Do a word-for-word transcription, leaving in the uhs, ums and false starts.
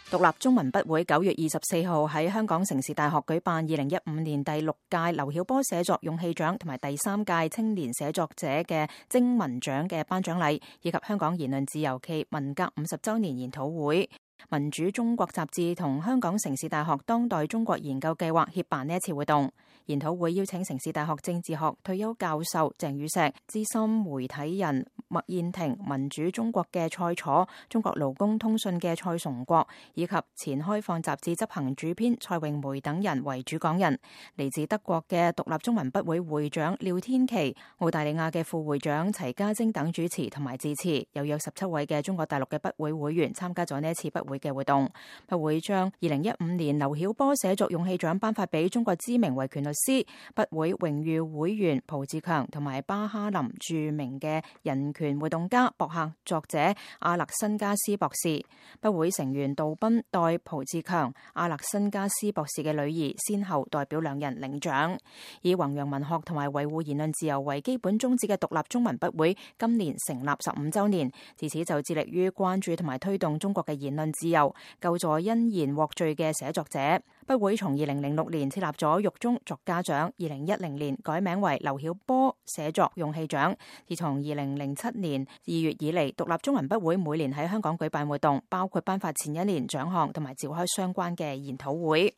獨立中文筆會九月二十四號喺香港城市大學舉辦二零一五年第六屆劉曉波寫作勇氣獎同埋第三屆青年寫作者嘅徵文獎嘅頒獎禮，以及香港言論自由暨文革五十週年研討會。民主中國雜誌同香港城市大學當代中國研究計劃協辦呢一次活動。研討會邀請城市大學政治學退休教授鄭宇碩、資深媒體人麥燕庭、民主中國嘅蔡楚、中國勞工通訊嘅蔡崇國，以及前開放雜誌執行主編蔡詠梅等人為主講人。嚟自德國嘅獨立中文筆會會長廖天琪、澳大利亞嘅副會長齊家晶等主持同埋致辭，有約十七位嘅中國大陸嘅筆會會員參加咗呢一次筆會嘅活動。筆會將二零一五年劉曉波寫作勇氣獎頒發俾中國知名維權律師、筆會榮譽會員蒲志強同埋巴哈林著名嘅人權活動家、博客作者阿勒辛加斯博士。筆會成員杜賓代蒲志強、阿勒辛加斯博士嘅女兒先後代表兩人領獎。以弘揚文學同埋維護言論自由為基本宗旨嘅獨立中文筆會今年成立十五週年，自此就致力於關注同埋推動中國嘅言論自由，救助因言獲罪嘅寫作者。筆會從二零零六年設立咗獄中作家獎，二零一零年改名為劉曉波寫作勇氣獎。自從二零零七年二月以嚟，獨立中文筆會每年喺香港舉辦活動，包括頒發前一年獎項同埋召開相關嘅研討會。